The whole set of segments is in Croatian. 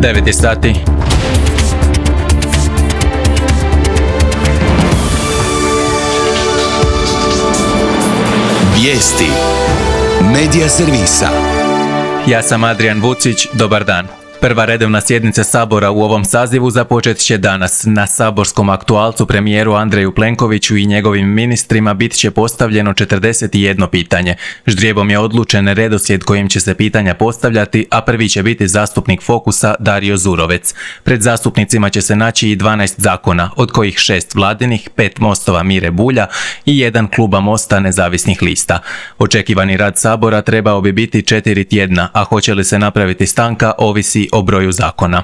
9 je sati. Vijesti Medija servisa. Ja sam Adrian Vucić, dobar dan. Prva redovna sjednica Sabora u ovom sazivu započet će danas. Na saborskom aktualcu premijeru Andreju Plenkoviću i njegovim ministrima bit će postavljeno 41 pitanje. Ždrijebom je odlučen redoslijed kojim će se pitanja postavljati, a prvi će biti zastupnik Fokusa Dario Zurovec. Pred zastupnicima će se naći i 12 zakona, od kojih 6 vladinih, 5 Mostova Mire Bulja i 1 kluba Mosta nezavisnih lista. Očekivani rad Sabora trebao bi biti 4 tjedna, a hoće li se napraviti stanka ovisi o broju zakona.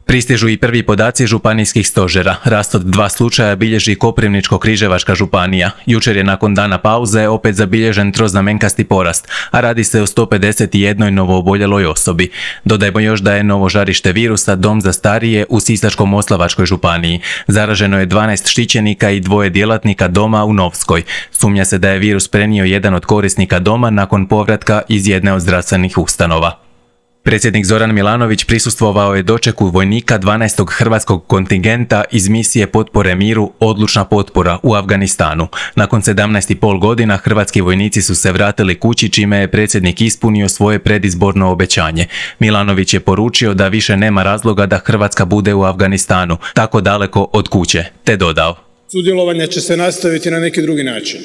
Pristižu i prvi podaci županijskih stožera. Rast od 2 slučaja bilježi Koprivničko-križevačka županija. Jučer je nakon dana pauze opet zabilježen troznamenkasti porast, a radi se o 151 novooboljeloj osobi. Dodajmo još da je novo žarište virusa dom za starije u Sisačko-moslavačkoj županiji. Zaraženo je 12 štićenika i 2 djelatnika doma u Novskoj. Sumnja se da je virus prenio jedan od korisnika doma nakon povratka iz jedne od zdravstvenih ustanova. Predsjednik Zoran Milanović prisustvovao je dočeku vojnika 12. hrvatskog kontingenta iz misije potpore miru Odlučna potpora u Afganistanu. Nakon 17,5 godina hrvatski vojnici su se vratili kući, čime je predsjednik ispunio svoje predizborno obećanje. Milanović je poručio da više nema razloga da Hrvatska bude u Afganistanu, tako daleko od kuće, te dodao: Sudjelovanje će se nastaviti na neki drugi način.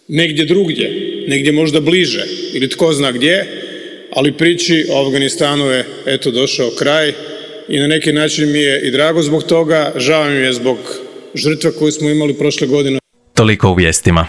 Negdje drugdje, negdje možda bliže ili tko zna gdje, ali priči o Afganistanu je eto došao kraj i na neki način mi je i drago zbog toga, žao mi je zbog žrtva koju smo imali prošle godine. Toliko u vijestima.